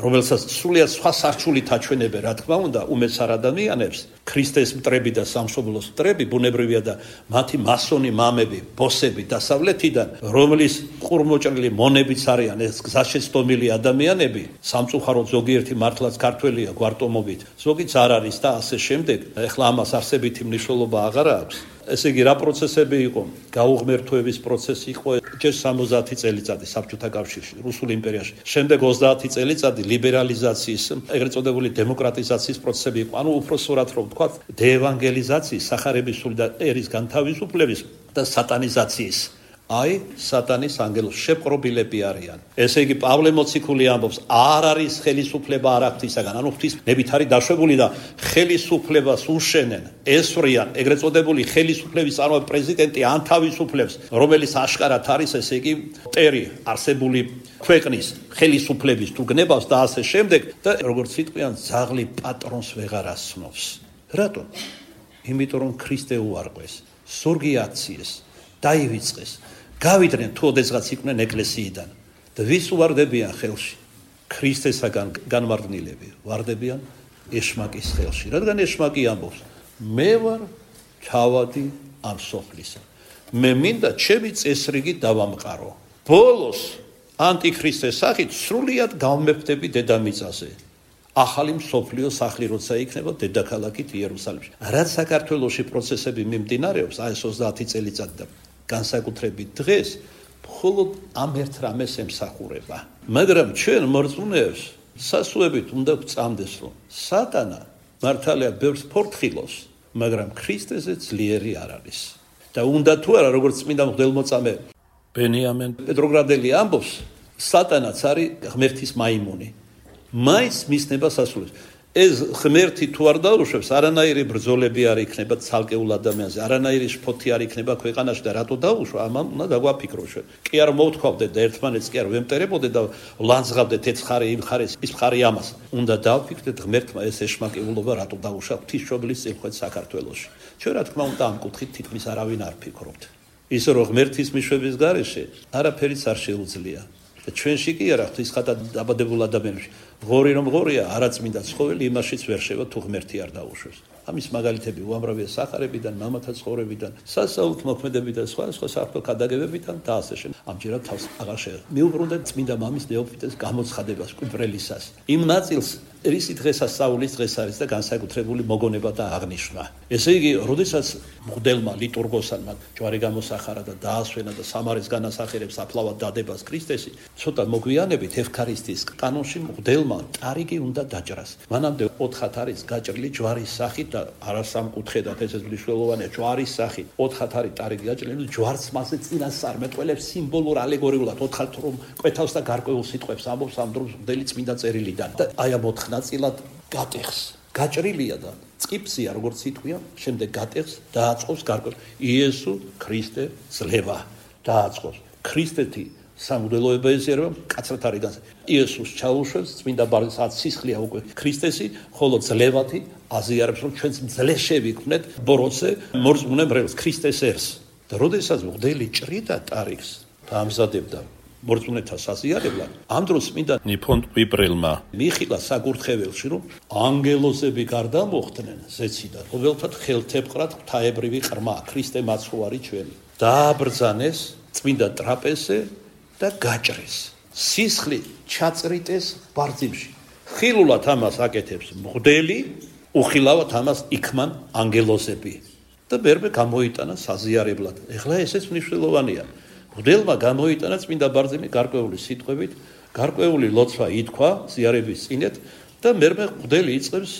რომელსაც სრულიად სხვა სარჩულით აჩვენებენ რა თქმა უნდა უმეცარ ადამიანებს ქრისტეს მტრები და სამშობლოს მტრები ბუნებრივია და მათი მასონი მამები ბოსები დასავლეთიდან რომლის ყურმოჭრილი მონებიც არიან ეს გზაშეცდომილი ადამიანები სამწუხაროდ ზოგიერთი მართლაც ქართველია გვარტომობით ზოგიც არ არის და ასე შემდეგ ეხლა ამას არსებითი მნიშვნელობა აღარ აქვს ესე იგი რა პროცესები იყო გაუღმერთოების პროცესი იყო ჯერ სამოცდაათი წელიწადი საბჭოთა კავშირში რუსულ იმპერიაში შემდეგ ოცდაათი წელიწადი ლიბერალიზაციის ეგრეთ წოდებული დემოკრატიზაციის პროცესები იყო ანუ უпроსორად რომ ვთქვათ დეევანგელიზაციის სახარებისული და ერის განთავისუფლების და სატანიზაციის აი სატანის ანგელოს შეპყრობილები არიან ესე იგი პავლე მოციქული ამბობს არ არის ხელისუფლება არა ღვთისაგან ანუ ღვთისნებით არის დაშვებული და ხელისუფლებას უშენენ ესვრიან ეგრეთ წოდებული ხელისუფლების წარმოება პრეზიდენტი ანთავისუფლებს რომელიც აშკარად არის ესე იგი ტერი არსებული ქვეყნის ხელისუფლების თუ გნებავს და ასე შემდეგ და როგორც სიტყვიან ძაღლი პატრონს ვეღარ ასნობს რატომ იმიტომ რომ ქრისტე უარყვეს ზურგი აქციეს დაივიწყეს გავიდნენ თუ ოდესღაც იყვნენ ეკლესიიდან და ვის უვარდებიან ხელში ქრისტესაგან განმარდნილები ვარდებიან ეშმაკის ხელში რადგან ეშმაკი ამბობს მე ვარ თავადი ამ სოფლისა მე მინდა ჩემი წესრიგი დავამყარო ბოლოს ანტიქრისტეს სახით სრულიად გავმეფდები დედამიწაზე ახალი მსოფლიო სახლი როცა იქნება დედაქალაქით იერუსალიმში რაც საქართველოში პროცესები მიმდინარეობს აი ეს ოცდაათი წელიწადი და განსაკუთრებით დღეს მხოლოდ ამ ერთ რამეს ემსახურება მაგრამ ჩვენ მორწმუნეებს სასუებით უნდა გვწამდეს რომ სატანა მართალია ბევრს ფორთხილოს მაგრამ ქრისტეზე ძლიერი არ არის და უნდა თუ არა როგორც წმინდა მღვდელმოწამე ბენიამენ პეტროგრადელი ამბობს სატანაც არის ღმერთის მაიმუნი მაინც მისნება სასულებს ეს ღმერთი თუ არ დაუშვებს არანაირი ბრძოლები არ იქნება ცალკეულ ადამიანზე არანაირი შფოთი არ იქნება ქვეყანაში და რატო დაუშვა ამან უნდა დაგვაფიქროთ ჩვენ კი არ მოვთქვავდეთ და ერთმანეთს კი არ ვემტერებოდეთ და ლანძღავდეთ ეს ხარი იმ ხარეს ის ხარი ამას უნდა დავფიქრდეთ ღმერთმა ეს ეშმაკეულობა რატო დაუშვა ღვთისმშობლის წინყვეთ საქართველოში ჩვენ რა თქმა უნდა ამ კუთხით თითქმის არავინ არ ფიქრობთ ისე რომ ღმერთის მიშვების გარეშე არაფერიც არ შეუძლია და ჩვენში კი არა ღვთისხათა დაბადებულ ადამიანებში ღორი რომ ღორია არაწმინდა ცხოველი იმაშიც ვერ შევა თუ ღმერთი არ დაუშვებს ამის მაგალითები უამრავია სახარებიდან მამათა ცხოვრებიდან სასაუთ მოქმედებიდან სხვა სხვა საერთო ქადაგებებიდან და ასე შემდეგ ამჯერად თავს აღარ შეეხება მიუბრუნდეთ წმინდა მამის ნეოფიტეს გამოცხადებას კვირელისას იმ ნაწილს რისი დღესასწაულის დღეს არის და განსაკუთრებული მოგონება და აღნიშვნა ესე იგი როდესაც მღვდელმა ლიტურგოსანმა ჯვარი გამოსახარა და დაასვენა და სამარის განასახიერებს აფლავად დადებას ქრისტესი ცოტა მოგვიანებით ევქარისტიის კანონში მღვდელმა ტარიგი უნდა დაჭრას მანამდე ოთხად არის გაჭრილი ჯვარის სახით და არასამკუთხედად ეს მნიშვნელოვანია ჯვარის სახით ოთხად არის ტარიგი გაჭრილი ჯვარს მასე წინასწარმეტყველებს სიმბოლურ ალეგორიულად ოთხად რომ კვეთავს და გარკვეულ სიტყვებს ამბობს ამ დროს მღვდელი წმინდა წერილიდან და აი ამ ოთხ ნაწილად გატეხს გაჭრილია და წიფსია, როგორც იტყვია, შემდეგ გატეხს, დააწყობს გარკვეულ იესო ქრისტე ძლევა, დააწყობს. ქრისტეთი სამღვდელოება ეზიარება, კაცრად არის განსა. იესოს ჩაუშვებს, წმინდა ბარნისად სისხლია უკვე ქრისტესი, ხოლო ძლევათი აზიარებს, რომ ჩვენც მძლეშები ვიქნეთ ბოროტზე, მორწმუნე მრევლს, ქრისტეს ერს. და როდესაც მღვდელი ჭრიდა ტარიქს და ამზადებდა მორწმუნეთა საზიარებლად, ამ დროს წმინდა ნიფონ ტვიპრელმა მიხილა საკურთხეველში, რომ ანგელოზები გარდა მოხდნენ ზეციდან, ყოველთად ხელთეპყრად ღვთაებრივი ყრმა, ქრისტე მაცხოვარი ჩვენი. დააბრძანეს წმინდა ტრაპეზზე და გაჭრეს. სისხლი ჩაწრიტეს ბარძიმში. ხილულად ამას აკეთებს მღვდელი, უხილავად ამას იქმან ანგელოზები. და მერმე გამოიტანა საზიარებლად. ეხლა ესეც მნიშვნელოვანია. მღვდელმა გამოიტანა წმინდა ბარძიმი გარკვეული სიტყვებით, გარკვეული ლოცვა ითქვა ზიარების წინეთ და მერმე მღვდელი იწყებს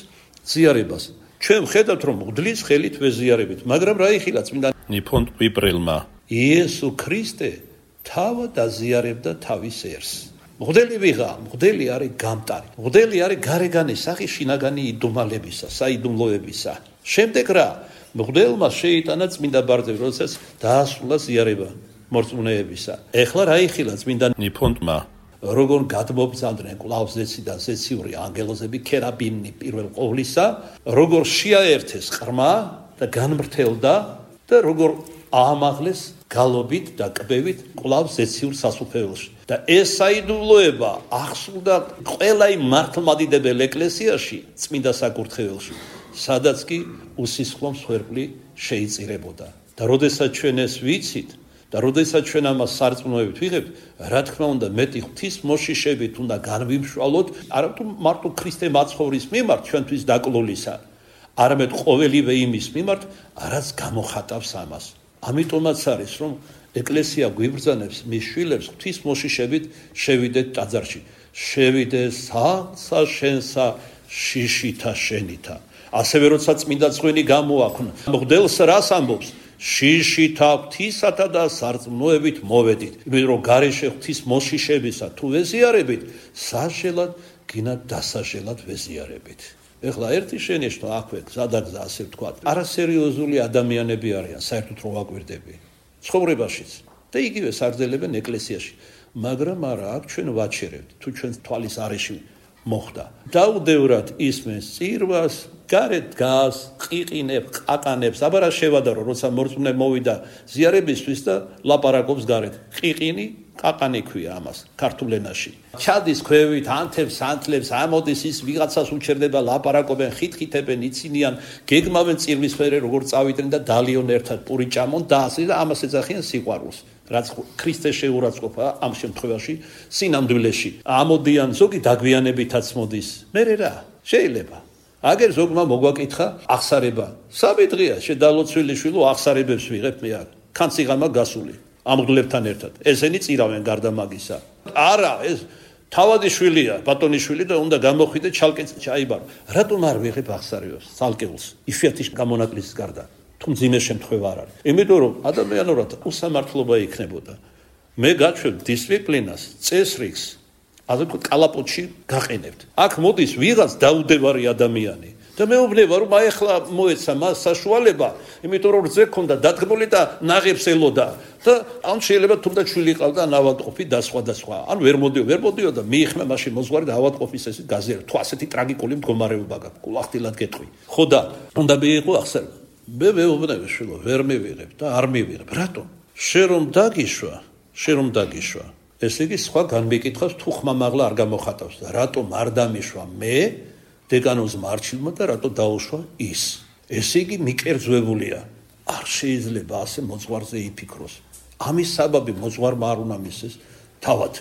ზიარებას. ჩვენ ვხედავთ, რომ მღვდლის ხელით ვეზიარებით, მაგრამ რა იხილა წმინდა ნიფონ ტვიპრელმა? იესო ქრისტე თავად აზიარებდა თავის ერს. მღვდელი ვიღა, მღვდელი არის გამტარი. მღვდელი არის გარეგანი სახი შინაგანი იდუმალებისა, საიდუმლოებისა. შემდეგ რა? მღვდელმა შეიტანა წმინდა ბარძიმი, როდესაც დაასრულა ზიარება მორწმუნეებისა. ეხლა რა იხილა წმინდა ნიფონტმა? როგორ გადმობრძანდნენ კვლავ ზეციდან ზეციური ანგელოზები ქერაბინი პირველ ყოვლისა, როგორ შეაერთეს ყრმა და განმრთელდა და როგორ აამაღლეს გალობით და კბებით კვლავ ზეციურ სასუფეველში. და ეს საიდუმლოება ახსოვდა ყველა იმ მართლმადიდებელ ეკლესიაში, წმინდა საკურთხეველში, სადაც კი უსისხლო მსხვერპლი შეიწირებოდა. და როდესაც ჩვენ ეს ვიცით და როდესაც ჩვენ ამას სარწმუნოებით ვიღებთ, რა თქმა უნდა, მეტი ღვთის მოშიშებით უნდა განვიმშვალოთ, არამედ მარტო ქრისტე მაცხოვრის მიმართ ჩვენთვის დაკლულისა, არამედ ყოველივე იმის მიმართ, რაც გამოხატავს ამას. ამიტომაც არის, რომ ეკლესია გვიბრძანებს მის შვილებს ღვთის მოშიშებით შევიდეთ ტაძარში. შევიდე სახლსა შენსა შიშითა შენითა. ასევე როცა წმინდა წვენი გამოაქვნა, მღვდელს რას ამბობს? შიშითა ღვთისათა და სარწმუნოებით მოვედით. იმიტომ რომ გარეშე ღვთის მოშიშებისა თუ ვეზიარებით, საშელად გინათ დასაშელად ვეზიარებით. ეხლა ერთი შენიშნო აქვე გზადაგზა ასე ვთქვათ. არასერიოზული ადამიანები არიან, საერთოდ რო ვაკვირდები. ცხოვრებაშიც და იგივე საგრძელებენ ეკლესიაში. მაგრამ არა, აქ ჩვენ ვაჩერებთ, თუ ჩვენ თვალის არეში მოხდა. დაუდევრად ისმენს წირვას, გარეთ დგას, ყიყინებს, ყაყანებს, აბა რა შევადარო, როცა მორწმუნე მოვიდა ზიარებისთვის და ლაპარაკობს გარეთ. ყიყინი, ყაყანი ქვია ამას ქართულ ენაში. ჩადის ქვევით, ანთებს, ანთლებს, ამოდის ის ვიღაცას უჩერდება, ლაპარაკობენ, ხითხითებენ, იცინიან, გეგმავენ წირვის ფერე, როგორ წავიდნენ და დალიონ ერთად პური ჭამონ და ასე და ამას ეძახიან სიყვარულს. რაც ქრისტეს შეურაცხყოფა ამ შემთხვევაში სინამდვილეში. ამოდიან ზოგი დაგვიანებითაც მოდის. მერე რა? შეიძლება. აგერ ზოგმა მოგვაკითხა აღსარება. სამი დღეა შედალოცვილი შვილო აღსარებებს ვიღებ მე აქ. ქანციღამა გასული. ამ მღვდლებთან ერთად. ესენი წირავენ გარდა მაგისა. არა, ეს თავადი შვილია, ბატონიშვილი და უნდა გამოხვიდე ჩალკეც ჩაიბარო. რატომ არ ვიღებ აღსარებას? ცალკეულს. იშვიათი გამონაკლისის გარდა. თუ მძიმე შემთხვევა არ არის. იმიტომ რომ ადამიანურად უსამართლობა იქნებოდა. მე გაჩვევ დისციპლინას, წესრიგს, ასე ვთქვათ, კალაპოტში გაყენებთ. აქ მოდის ვიღაც დაუდევარი ადამიანი და მეუბნება რომ აი ახლა მოეცა მას საშუალება, იმიტომ რომ რძე ქონდა დადგმული და ნაღებს ელოდა და ან შეიძლება თუნდაც შვილი ყავდა ავადმყოფი და სხვა და სხვა. ან ვერ მოდიო, ვერ მოდიო და მიიხმე მაშინ მოძღვარი და ავადმყოფის ეს გაზიარა. თუ ასეთი ტრაგიკული მდგომარეობა გაქვს, კულახდილად გეტყვი. ხო და უნდა მიიღო აღსარება. მე მეუბნები შვილო, ვერ მივიღებ და არ მივიღებ. რატომ? შენ რომ დაგიშვა, შენ რომ დაგიშვა. ესე იგი სხვა განმიკითხავს თუ ხმამაღლა არ გამოხატავს და რატომ არ დამიშვა მე დეკანოზ მარჩილმა და რატო დაუშვა ის. ესე იგი მიკერძვებულია. არ შეიძლება ასე მოძღვარზე იფიქროს. ამის საბაბი მოძღვარმა არ უნდა მისცეს თავად.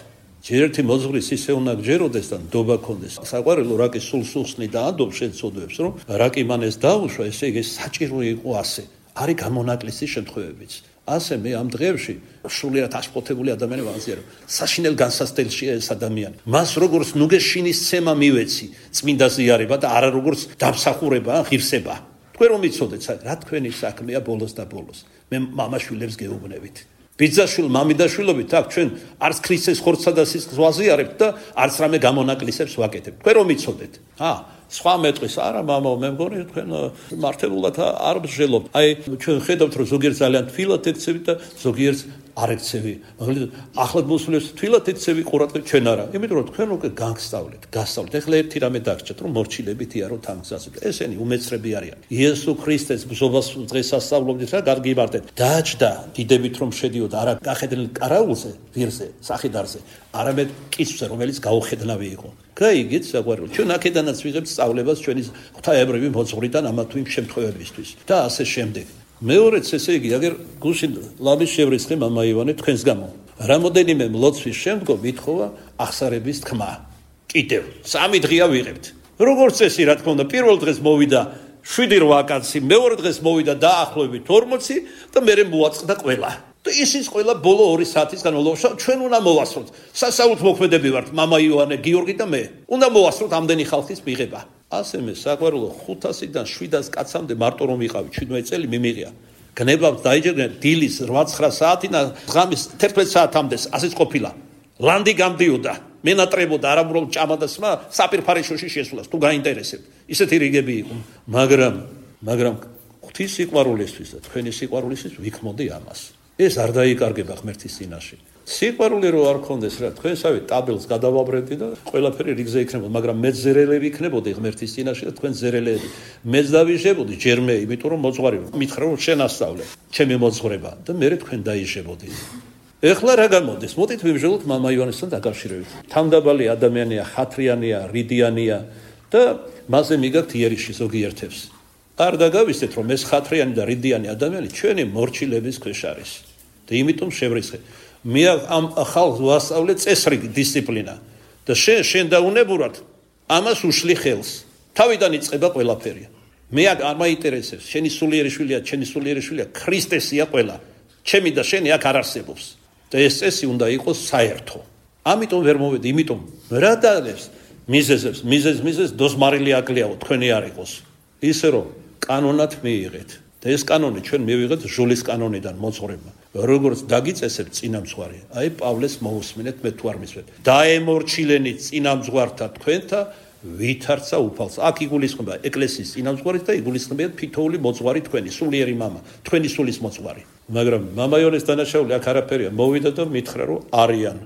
ჯერ ერთი მოძღვრის ისე უნდა გჯეროდეს და ნდობა ქონდეს. საყვარელო რაკი სულ სულსნი და ანდობს შეცოდებს, რომ რაკი მან ეს დაუშვა, ესე იგი საჭირო იყო ასე. არის გამონაკლისის შემთხვევებიც. ასე მე ამ დღეებში სრულიად აშფოთებული ადამიანი ვაზიარო. საშინელ განსასწრებელშია ეს ადამიანი. მას როგორც ნუგეშინის ცემა მივეცი, წმინდა ზიარება და არა როგორც დამსახურება, ღირსება. თქვენ რომ იცოდეთ, რა თქვენი საქმეა ბოლოს და ბოლოს. მე მამაშვილებს გეუბნებით. ბიძაშვილ მამიდაშვილობით აქ ჩვენ არც ქრისტეს ხორცსა და სისხლს ვაზიარებთ და არც რამე გამონაკლისებს ვაკეთებთ. თქვენ რომ იცოდეთ. ა სხვა მეტყვის არა მამაო მე მგონი თქვენ მართებულად არ მსჯელობთ. აი ჩვენ ხედავთ რომ ზოგიერთ ძალიან თვილად ექცევით და ზოგიერთ არ ექცევი. მაგალითად ახლად მოსულებს თვილად ექცევი ყურადღება ჩვენ არა. იმიტომ რომ თქვენ უკვე გაგსწავლეთ, გასწავლეთ. ეხლა ერთი რამე დაგჭირთ რომ მორჩილებითი არო თამგზავრდეთ. ესენი უმეცრები არიან. იესო ქრისტეს ბრძოლას დღეს ასწავლობდით რა გაგიბარდეთ. დაჭდა დიდებით რომ შედიოდა არა გახედნილ კარაულზე, ვირზე, სახიდარზე, არამედ კიცვზე რომელიც გაუხედნავი იყო. გაიგეთ საყვარელი. ჩვენ აქედანაც ვიღებთ სწავლებას ჩვენი ღვთაებრივი მოძღვრიდან ამა თუ იმ შემთხვევებისთვის და ასე შემდეგ. მეორეც ესე იგი აგერ გუშინ ლამის შევრისხე მამა ივანე თქვენს გამო. რამოდენიმე მლოცვის შემდგომ ითხოვა ახსარების თქმა. კიდევ სამი დღეა ვიღებთ. როგორც წესი რა თქმა უნდა პირველ დღეს მოვიდა შვიდი რვა კაცი, მეორე დღეს მოვიდა დაახლოებით ორმოცი და მერე მოაწყდა ყველა. და ისიც ყველა ბოლო ორი საათის განმავლობაში ჩვენ უნდა მოვასწროთ. სასაუთ მოქმედები ვართ მამა ივანე, გიორგი და მე. უნდა მოვასწროთ ამდენი ხალხის მიღება. ასე მე საყვარელო ხუთასიდან შვიდას კაცამდე მარტო რომ ვიყავი შვიდმეტ წელი მიმიღია. გნებავთ დაიჯერდნენ დილის რვა ცხრა საათიდან ღამის თერთმეტ საათამდე ასეც ყოფილა. ლანდი გამდიოდა. მენატრებოდა არამროლ ჭამადასმა საპირფარეშოში შესვლას თუ გაინტერესებთ. ისეთი რიგები იყო. მაგრამ მაგრამ ღვთის სიყვარულისთვის და თქვენი სიყვარულისთვის ვიქმოდი ამას. ეს არ დაიკარგება ღმერთის წინაშე. სიყვარული რო არ ქონდეს რა თქვენსავე ტაბელს გადავაბრებდი და ყველაფერი რიგზე იქნებოდა, მაგრამ მე ზერელები იქნებოდი ღმერთის წინაშე და თქვენ ზერელები. მეც დავიჟებოდი ჯერმე, იმიტომ რომ მოძღვარი მითხრა რომ შენ ასწავლე, ჩემი მოძღვრება და მე თქვენ დაიჟებოდით. ეხლა რა გამოდის? მოდით ვიმჟელოთ მამა ივანესთან დაკავშირებით. თამდაბალი ადამიანია, ხათრიანია, რიდიანია და მასზე მიგაქვთ იერიში ზოგიერთებს. არ დაგავისეთ რომ ეს ხათრიანი და რიდიანი ადამიანი ჩვენი მორჩილების ქვეშ არის. და იმიტომ შევრისხე. მე ამ ხალხს ვასწავლე წესრიგი დისციპლინა და შენ შენ დაუნებურად ამას უშლი ხელს. თავიდან იწყება ყველაფერი. მე არ მაინტერესებს შენი სულიერი შვილია, შენი სულიერი შვილია, ქრისტესია ყველა. ჩემი და შენი აქ არ არსებობს. და ეს წესი უნდა იყოს საერთო. ამიტომ ვერ მოვედი, იმიტომ რა დაგებს მიზეზებს, მიზეზ მიზეზ დოსმარილი აკლიაო თქვენი არ იყოს. ისე რომ კანონად მიიღეთ. და ეს კანონი ჩვენ მივიღეთ ჟულის კანონიდან მოძღვრება. როგორც დაგიწესებ წინამძღვარი, აი პავლეს მოусმინეთ მე თუ არ მისვეთ. დაემორჩილენით წინამძღვართა თქვენთა ვითარცა უფალს. აქ იგულისხმება ეკლესიის წინამძღვარით და იგულისხმება თითოეული მოძღვარი თქვენი, სულიერი მამა, თქვენი სულის მოძღვარი. მაგრამ მამა იონეს დანაშაული აქ არაფერია. მოვიდა და მითხრა რომ არიან.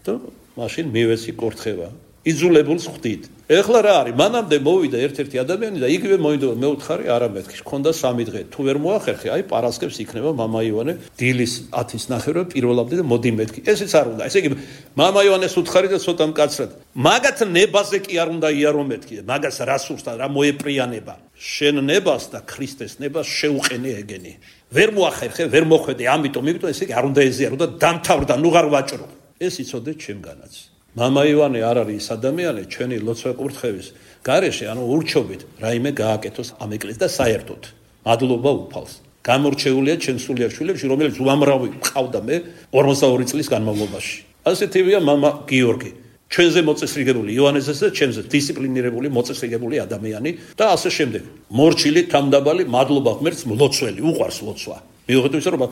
და მაშინ მივეცი კურთხევა. იძულებულს ხვდით. ეხლა რა არის? მანამდე მოვიდა ერთ-ერთი ადამიანი და იგივე მოინდომა მე უთხარი არა მეთქი. ხონდა სამი დღე. თუ ვერ მოახერხე, აი პარასკევს იქნება მამა ივანე დილის ათის ნახევრად პირველამდე და მოდი მეთქი. ესეც არ უნდა. ესე იგი მამა ივანეს უთხარი და ცოტა მკაცრად. მაგათ ნებაზე კი არ უნდა იარო მეთქი. მაგას რა სურს და რა მოეპრიანება. შენ ნებას და ქრისტეს ნებას შეუყენე ეგენი. ვერ მოახერხე, ვერ მოხვედე, ამიტომ იმიტომ ესე იგი არ უნდა ეზიარო და დამთავრდა, ნუ ღარ ვაჭრო. ეს იცოდე ჩემგანაც. მამა ივანე არ არის ის ადამიანი ჩვენი ლოცვა კურთხევის გარეშე, ანუ ურჩობით რაიმე გააკეთოს ამ ეკლესიას და საერთოდ მადლობა უფალს. გამორჩეულია ჩემ სულიერ შვილებში, რომელიც უამრავი მყავდა მე ორმოცდაორი წლის განმავლობაში. ასეთივეა მამა გიორგი. ჩვენზე მოწესრიგებული ივანესზე და ჩემზე დისციპლინირებული მოწესრიგებული ადამიანი და ასე შემდეგ. მორჩილი თამდაბალი მადლობა ღმერთს მლოცველი, უყვარს ლოცვა. მიუხედავად იმისა, რომ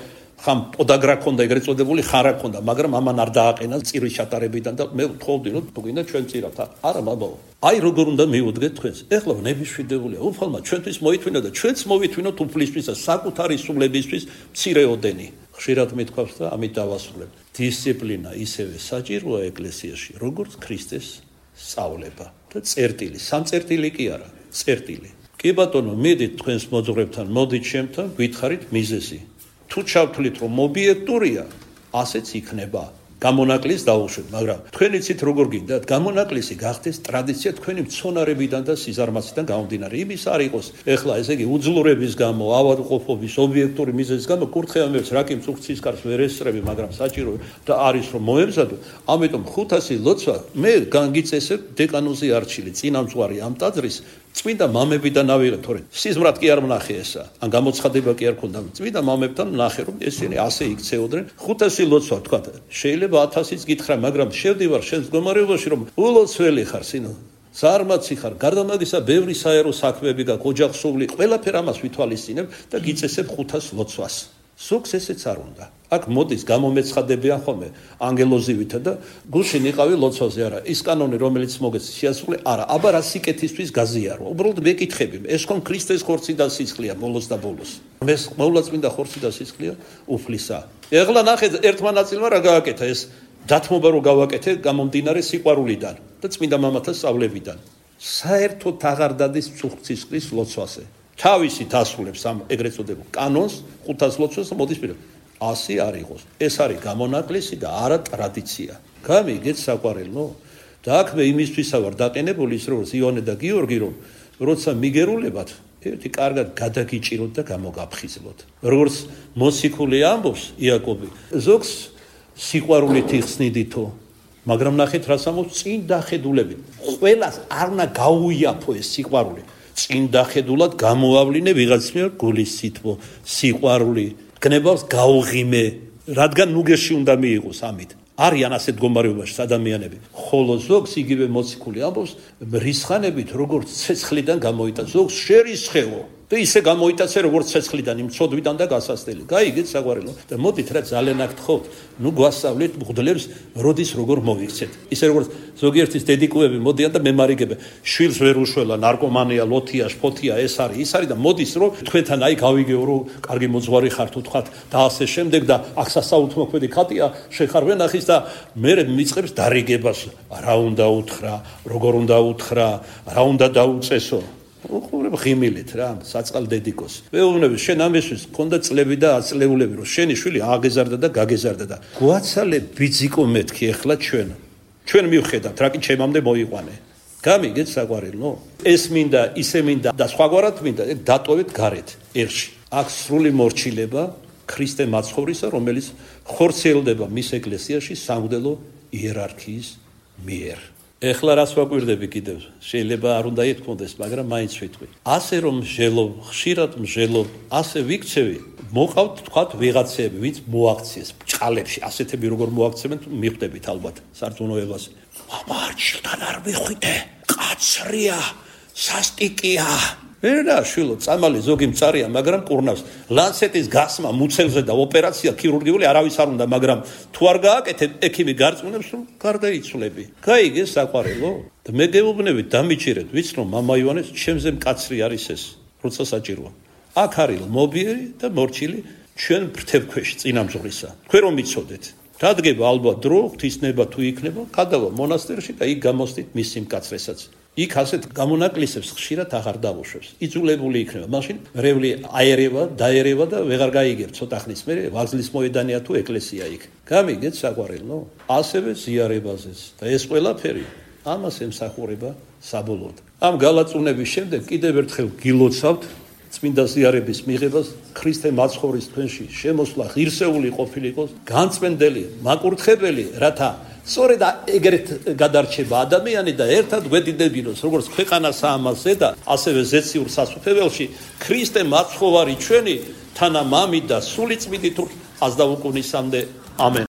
ხამ პოდაგრა ქონდა ეგრეთ წოდებული ხარა ქონდა, მაგრამ ამან არ დააყენა წირის ჩატარებიდან და მე ვთხოვდი რომ თუ გინდა ჩვენ წირავთ. არა მამაო. აი როგორ უნდა მივუდგეთ თქვენს. ეხლა ნებიშვიდებულია. უფალმა ჩვენთვის მოითმინა და ჩვენც მოვითმინოთ უფლისთვის და საკუთარი სულებისთვის მცირეოდენი. ხშირად მithქვავს და ამით დავასრულებ. დისციპლინა ისევე საჭიროა ეკლესიაში, როგორც ქრისტეს სწავლება და წერტილი. სამწერტილი კი არა, წერტილი. კი ბატონო, მიდით თქვენს მოძღვრებთან, მოდით ჩემთან, გითხარით მიზეზი. თუ ჩავთვლით რომ ობიექტურია, ასეც იქნება. გამონაკლისს დაუშვით, მაგრამ თქვენ იცით როგორ გინდათ, გამონაკლისი გახდეს ტრადიცია თქვენი მცონარებიდან და სიზარმაციდან გამომდინარე. იმის არ იყოს, ეხლა ესე იგი უძლურების გამო, ავადმყოფობის, ობიექტური მიზეზის გამო კურთხევა მეც რაკი მწუხცის კარს ვერ ესწრები, მაგრამ საჭირო და არის რომ მოემზადო. ამიტომ ხუთასი ლოცვა მე განგიწესებ დეკანოზი არჩილი, წინამძღვარი ამ ტაძრის წმინდა მამებიდან ავიღე, თორე სიზმრად კი არ ვნახე ესა. ან გამოცხადება კი არ ქონდა. წმინდა მამებთან ვნახე, რომ ესენი ასე იქცეოდნენ. ხუთასი ლოცვა თქვა. შეიძლება ათასიც გითხრა, მაგრამ შევდივარ შენს მდგომარეობაში, რომ ულოცველი ხარ, სინო. ზარმაცი ხარ, გარდა მაგისა, ბევრი საერო საქმეები გაქვს, ოჯახსული, ყველაფერ ამას ვითვალისწინებ და გიწესებ ხუთას ლოცვას. ზოგს ესეც არ უნდა. აქ მოდის გამომეცხადებიან ხოლმე ანგელოზივითა და გულშინ იყავი ლოცვაზე არა. ის კანონი რომელიც მოგეც შეასრულე არა. აბა რა სიკეთისთვის გაზიარო. უბრალოდ მეკითხები. ეს ხომ ქრისტეს ხორცი და სისხლია ბოლოს და ბოლოს. ეს მოულაწმინდა ხორცი და სისხლია უფლისა. ეხლა ნახე ერთმა ნაწილმა რა გააკეთა ეს დათმობა რო გავაკეთე გამომდინარე სიყვარულიდან და წმინდა მამათა სწავლებიდან. საერთოდ აღარ დადის მწუხცისხლის ლოცვაზე. თავისით ასრულებს ამ ეგრეთ წოდებულ კანონს, ხუთას ლოცვას და მოდის პირად. ასი არ იყოს. ეს არის გამონაკლისი და არა ტრადიცია. გამიგეთ საყვარელო? და აქ მე იმისთვისა ვარ დაყენებული ის როგორც იონე და გიორგი რომ როცა მიგერულებათ ერთი კარგად გადაგიჭიროთ და გამოგაფხიზლოთ. როგორც მოციქული ამბობს იაკობი, ზოგს სიყვარულით იხსნიდითო, მაგრამ ნახეთ რას ამბობს წინ დახედულებით. ყველას არ უნდა გაუიაფო ეს სიყვარული. წინ დახედულად გამოავლინე ვიღაც მიერ გულის სითბო, სიყვარული, გნებავს გაუღიმე, რადგან ნუგეში უნდა მიიღოს ამით. არიან ასეთ მდგომარეობაში ადამიანები. ხოლო ზოგს იგივე მოციქული ამბობს, რისხანებით როგორც ცეცხლიდან გამოიტანა, ზოგს შერისხეო. და ისე გამოიტაცე როგორც ცეცხლიდან, იმ ცოდვიდან და გასასწრელი. გაიგეთ საყვარელო? და მოდით რა ძალიან აქ თხოვთ, ნუ გვასწავლეთ მღვდლებს როდის როგორ მოვიქცეთ. ისე როგორც ზოგიერთის დედიკუები მოდიან და მემარიგებენ, შვილს ვერ უშველა, ნარკომანია, ლოთია, შფოთია, ეს არის, ის არის და მოდის რომ თქვენთან აი გავიგეო რომ კარგი მოძღვარი ხართ უთქვათ და ასე შემდეგ და აქ სასაუთმოქმედი ხატია, შეხარ ვენახის და მე მიწყებს დარიგებას, რა უნდა უთხრა, როგორ უნდა უთხრა, რა უნდა დაუწესო. უყურებ ღიმილით რა საწყალ დედიკოს. მეუბნები შენ ამისთვის გქონდა წლები და აწლეულები რომ შენი შვილი აგეზარდა და გაგეზარდა და გვაცალე ბიძიკო მეთქი ახლა ჩვენ. ჩვენ მივხედავთ რა კი ჩემამდე მოიყვანე. გამიგეთ საყვარელო? ეს მინდა, ისე მინდა და სხვაგვარად მინდა, ეგ დატოვეთ გარეთ ერში. აქ სრული მორჩილება ქრისტე მაცხოვრისა, რომელიც ხორციელდება მის ეკლესიაში სამღვდელო იერარქიის მიერ. ეხლა რას ვაკვირდები კიდევ? შეიძლება არ უნდა ეთქონდეს, მაგრამ მაინც ვიტყვი. ასე რომ მსჯელობ, ხშირად მსჯელობ, ასე ვიქცევი, მოყავთ თქვათ ვიღაცები, ვინც მოაქციეს ჭყალებში, ასეთები როგორ მოაქცევენ, მიხვდებით ალბათ სარწმუნოებაზე. მამარჩილთან არ მიხვიდე, კაცრია, სასტიკია. ვერა შვილო, წამალი ზოგი მწარია, მაგრამ კურნავს. ლანცეტის გასმა მუცელზე და ოპერაცია ქირურგიული არავის არ უნდა, მაგრამ თუ არ გააკეთე, ექიმი გარწმუნებს, რომ გარდაიცვლები. გაიგე საყვარელო? და მე გეუბნებით, დამიჭირეთ, ვიცი რომ მამა ივანეს ჩემზე მკაცრი არის ეს, როცა საჭიროა. აქ არის მობიერი და მორჩილი ჩვენ ფრთებქვეშ წინამძღვრისა. თქვენ რომ მიცოდეთ. რადგება ალბათ დრო, ღვთისნება თუ იქნება, გადავა მონასტერში და იქ გამოსდით მისი მკაცრესაც. იქ ასეთ გამონაკლისებს ხშირად აღარ დავუშვებს. იძულებული იქნება. მაშინ რევლი აერევა, დაერევა და ვეღარ გაიგებ ცოტა ხნის მერე ვაგზლის მოედანია თუ ეკლესია იქ. გამიგეთ საყვარელო? ასევე ზიარებაზეც. და ეს ყველაფერი ამას ემსახურება საბოლოოდ. ამ გალაწუნების შემდეგ კიდევ ერთხელ გილოცავთ წმინდა ზიარების მიღებას, ქრისტე მაცხოვრის თქვენში შემოსვლა ღირსეული ყოფილიყოს, განწმენდელი, მაკურთხებელი, რათა სწორედ ეგრეთ გადარჩება ადამიანი და ერთად გვედიდებინოს, როგორც ქვეყანას ამაზე და ასევე ზეციურ სასუფეველში ქრისტე მაცხოვარი ჩვენი თანა მამით და სული წმინდით აზდაუკუნისამდე ამენ.